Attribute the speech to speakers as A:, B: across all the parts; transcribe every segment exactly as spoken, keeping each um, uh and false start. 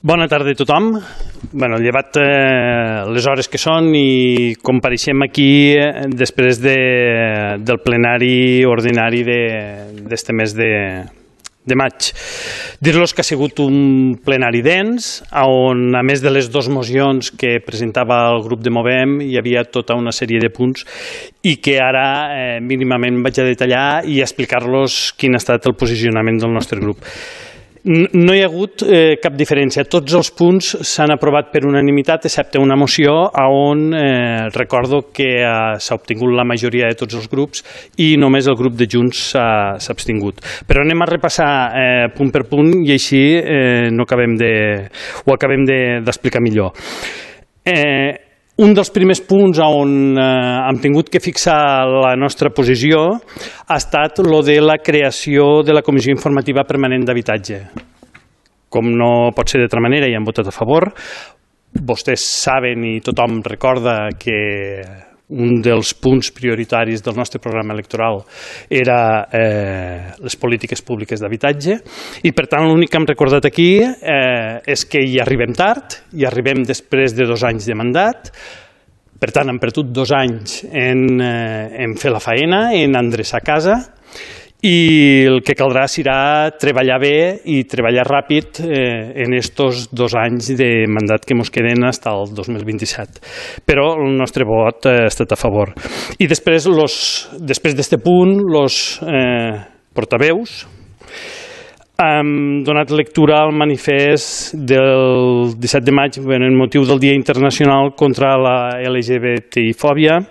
A: Bona tarda a tothom. Bueno, llevat eh, les hores que són i compareixem aquí eh, després de, del plenari ordinari d'este mes de, de maig. Dir-los que ha sigut un plenari dens, on a més de les dues mocions que presentava el grup de Movem hi havia tota una sèrie de punts i que ara eh, mínimament vaig a detallar i a explicar-los quin ha estat el posicionament del nostre grup. No hi ha hagut eh, cap diferència. Tots els punts s'han aprovat per unanimitat, excepte una moció on eh, recordo que eh, s'ha obtingut la majoria de tots els grups i només el grup de Junts s'ha abstingut. Però anem a repassar eh, punt per punt i així eh, no acabem de, ho acabem d'explicar de, millor. Eh, Un dels primers punts on eh, hem tingut que fixar la nostra posició ha estat lo de la creació de la Comissió Informativa Permanent d'Habitatge. Com no pot ser d'altra manera, hi han votat a favor. Vostès saben i tothom recorda que un dels punts prioritaris del nostre programa electoral era eh, les polítiques públiques d'habitatge i, per tant, l'únic que hem recordat aquí eh, és que hi arribem tard, hi arribem després de dos anys de mandat, per tant, hem perdut dos anys en, eh, en fer la faena, en endreçar casa, i el que caldrà serà treballar bé i treballar ràpid eh, en estos dos anys de mandat que ens queden fins al dos mil vint-i-set. Però el nostre vot ha estat a favor. I després, los, després d'este punt, els eh, portaveus hem donat lectura al manifest del disset de maig en el motiu del Dia Internacional contra la L G B T I fòbia,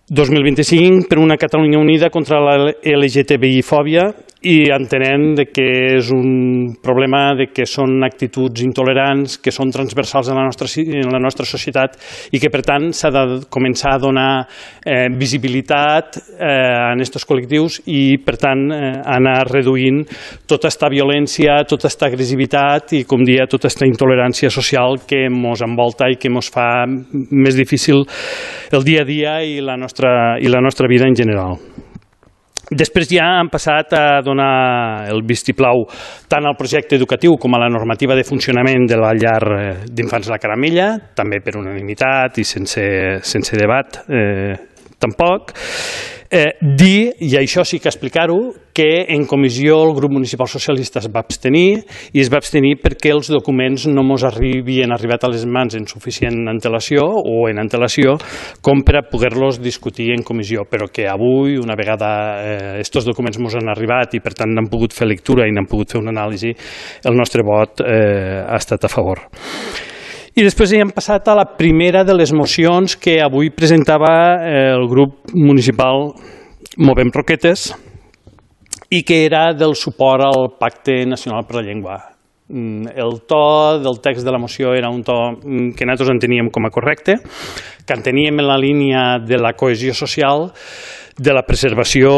A: dos mil vint-i-cinc per una Catalunya unida contra la L G T B I fòbia, i entenem que és un problema de que són actituds intolerants, que són transversals en la nostra, en la nostra societat i que, per tant, s'ha de començar a donar eh, visibilitat eh, a aquests col·lectius i, per tant, eh, anar reduint tota aquesta violència, tota aquesta agressivitat i, com dia, tota aquesta intolerància social que ens envolta i que ens fa més difícil el dia a dia i la nostra, i la nostra vida en general. Després ja han passat a donar el vistiplau tant al projecte educatiu com a la normativa de funcionament de la llar d'infants La Caramella, també per unanimitat i sense, sense debat eh, tampoc. Eh, dir, i això sí que explicar-ho, que en comissió el grup municipal socialista es va abstenir i es va abstenir perquè els documents no ens havien arribat a les mans en suficient antelació o en antelació com per a poder-los discutir en comissió, però que avui, una vegada aquests eh, documents ens han arribat i per tant n'han pogut fer lectura i n'han pogut fer una anàlisi, el nostre vot eh, ha estat a favor. I després hem passat a la primera de les mocions que avui presentava el grup municipal Movem Roquetes i que era del suport al Pacte Nacional per la Llengua. El to del text de la moció era un to que nosaltres enteníem com a correcte, que enteníem en la línia de la cohesió social, de la preservació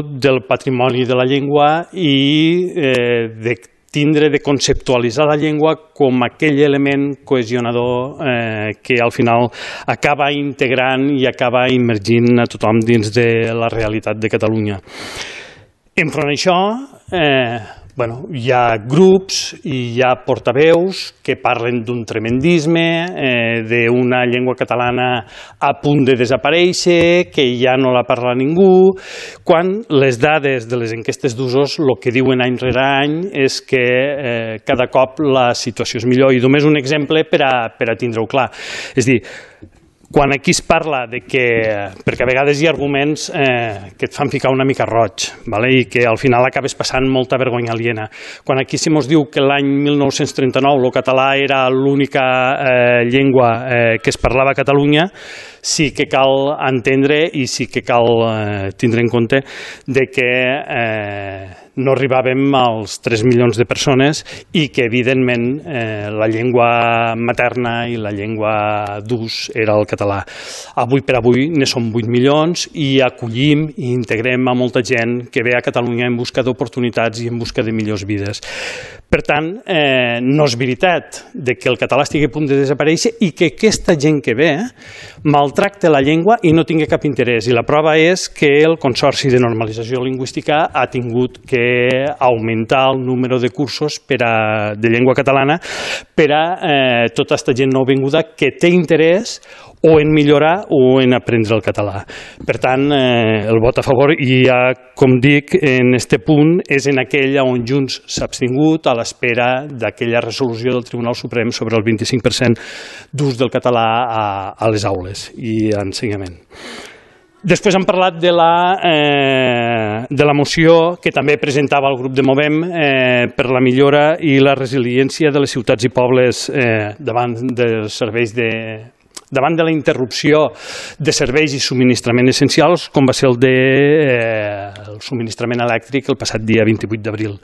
A: del patrimoni de la llengua i eh, de tindre de conceptualitzar la llengua com aquell element cohesionador eh, que al final acaba integrant i acaba immergint a tothom dins de la realitat de Catalunya. Enfront d'això, eh, bueno, hi ha grups i hi ha portaveus que parlen d'un tremendisme, eh, d'una llengua catalana a punt de desaparèixer, que ja no la parla ningú, quan les dades de les enquestes d'usos el que diuen any rere any és que eh, cada cop la situació és millor. I només un exemple per a, per a tindre-ho clar. És a dir, quan aquí es parla de que, perquè a vegades hi ha arguments eh, que et fan ficar una mica roig, vale? I que al final acabes passant molta vergonya aliena. Quan aquí se mos diu que l'any mil nou-cents trenta-nou el català era l'única eh, llengua eh, que es parlava a Catalunya, sí que cal entendre i sí que cal eh, tindre en compte de que eh, no arribàvem als tres milions de persones i que, evidentment, eh, la llengua materna i la llengua d'ús era el català. Avui per avui ne som vuit milions i acollim i integrem a molta gent que ve a Catalunya en busca d'oportunitats i en busca de millors vides. Per tant, eh, no és veritat de que el català estigui a punt de desaparèixer i que aquesta gent que ve maltracta la llengua i no tingui cap interès. I la prova és que el Consorci de Normalització Lingüística ha tingut que augmentar el número de cursos per a, de llengua catalana per a eh, tota aquesta gent nouvinguda que té interès o en millorar o en aprendre el català. Per tant, eh, el vot a favor, i ja, com dic, en aquest punt és en aquell on Junts s'ha abstingut a l'espera d'aquella resolució del Tribunal Suprem sobre el vint-i-cinc per cent d'ús del català a, a les aules i a ensenyament. Després hem parlat de la, eh, de la moció que també presentava el grup de Movem eh, per la millora i la resiliència de les ciutats i pobles eh, davant dels serveis de davant de la interrupció de serveis i subministrament essencials, com va ser el de eh, el subministrament elèctric el passat dia vint-i-vuit d'abril.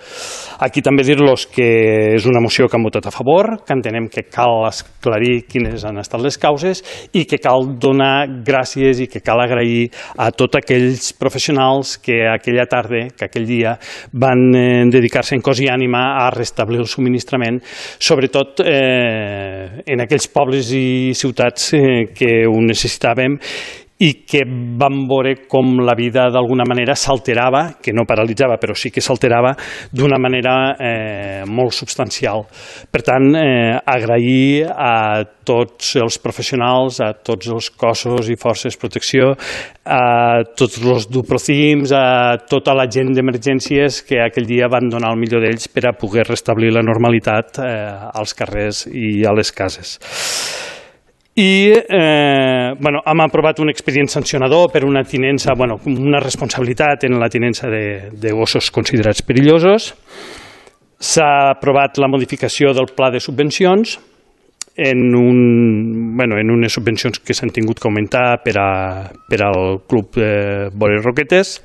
A: Aquí també dir-los que és una moció que han votat a favor, que entenem que cal esclarir quines han estat les causes i que cal donar gràcies i que cal agrair a tots aquells professionals que aquella tarda, que aquell dia, van eh, dedicar-se en cos i ànima a restablir el subministrament, sobretot eh, en aquells pobles i ciutats que ho necessitàvem i que vam veure com la vida d'alguna manera s'alterava, que no paralitzava, però sí que s'alterava d'una manera eh, molt substancial. Per tant, eh, agrair a tots els professionals, a tots els cossos i forces de protecció, a tots els duprocims, a tota la gent d'emergències que aquell dia van donar el millor d'ells per a poder restablir la normalitat eh, als carrers i a les cases. I eh, bueno, hem aprovat un expedient sancionador per una tinença, bueno, una responsabilitat en la tinença de, de gossos considerats perillosos. S'ha aprovat la modificació del pla de subvencions en, un, bueno, en unes subvencions que s'han tingut que augmentar per, a, per al Club eh, Boles Roquetes.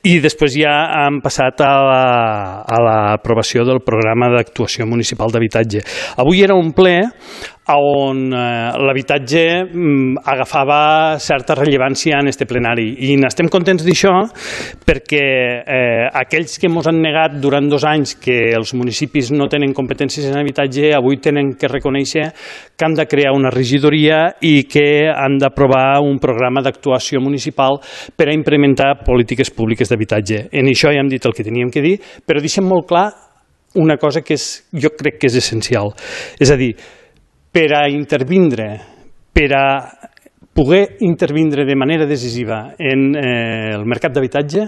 A: I després ja hem passat a l'aprovació del programa d'actuació municipal d'habitatge. Avui era un ple on l'habitatge agafava certa rellevància en este plenari i n'estem contents d'això perquè eh, aquells que ens han negat durant dos anys que els municipis no tenen competències en habitatge avui tenen que reconèixer que han de crear una regidoria i que han d'aprovar un programa d'actuació municipal per a implementar polítiques públiques d'habitatge. En això ja hem dit el que teníem que dir, però deixem molt clar una cosa que és, jo crec que és essencial. És a dir, per a intervindre, per a poder intervindre de manera decisiva en eh, el mercat d'habitatge,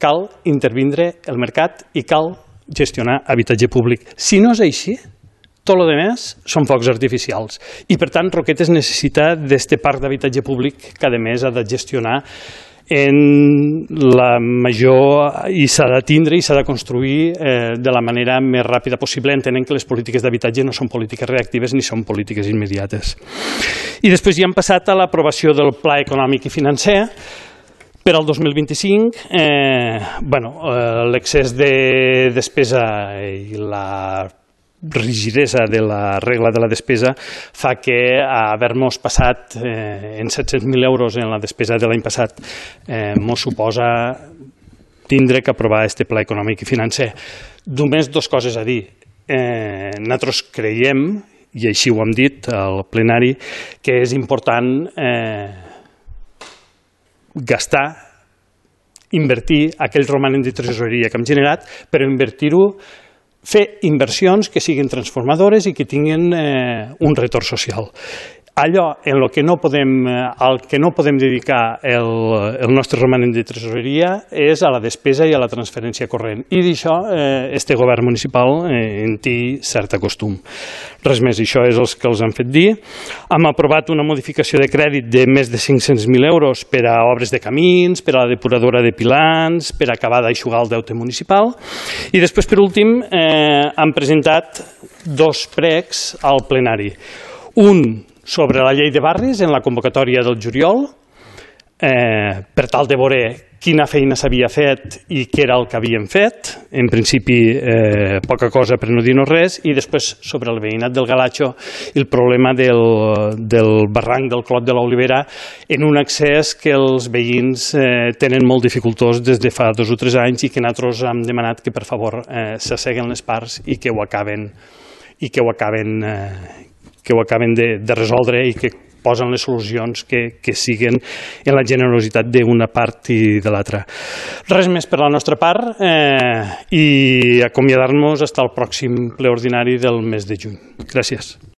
A: cal intervindre el mercat i cal gestionar habitatge públic. Si no és així, tot el més són focs artificials. I, per tant, Roquetes necessita d'aquest parc d'habitatge públic que, a més, ha de gestionar en la major i s'ha de tindre i s'ha de construir eh, de la manera més ràpida possible, entenent que les polítiques d'habitatge no són polítiques reactives ni són polítiques immediates. I després ja hem passat a l'aprovació del Pla Econòmic i Financer per al dos mil vint-i-cinc. Eh, bueno, eh, l'excés de despesa i la rigidesa de la regla de la despesa fa que haver-nos passat eh, en set-cents mil euros en la despesa de l'any passat eh, mos suposa tindre que aprovar aquest pla econòmic i financer. Només dues coses a dir. Eh, nosaltres creiem, i així ho hem dit al plenari, que és important eh, gastar, invertir aquell romanent de tresoreria que hem generat, però invertir-ho fer inversions que siguin transformadores i que tinguin eh, un retorn social. Allò en el que no podem, al que no podem dedicar el, el nostre romanent de tresoreria és a la despesa i a la transferència corrent. I d'això eh, este govern municipal eh, en té cert costum. Res més, això és el que els han fet dir. Hem aprovat una modificació de crèdit de més de cinc-cents mil euros per a obres de camins, per a la depuradora de pilans, per a acabar d'aixugar el deute municipal. I després, per últim, eh, han presentat dos pregs al plenari. Un sobre la llei de barris en la convocatòria del juliol, eh, per tal de veure quina feina s'havia fet i què era el que havien fet. En principi, eh, poca cosa per no dir-nos res, i després sobre el veïnat del Galatxo el problema del, del barranc del Clot de l'Olivera, en un accés que els veïns eh, tenen molt dificultós des de fa dos o tres anys i que nosaltres hem demanat que per favor eh, s'asseguen les parts i que ho acaben, i que ho acaben, eh, que ho acaben de, de resoldre i que posen les solucions que, que siguen en la generositat d'una part i de l'altra. Res més per la nostra part eh, i acomiadar-nos fins al pròxim ple ordinari del mes de juny. Gràcies.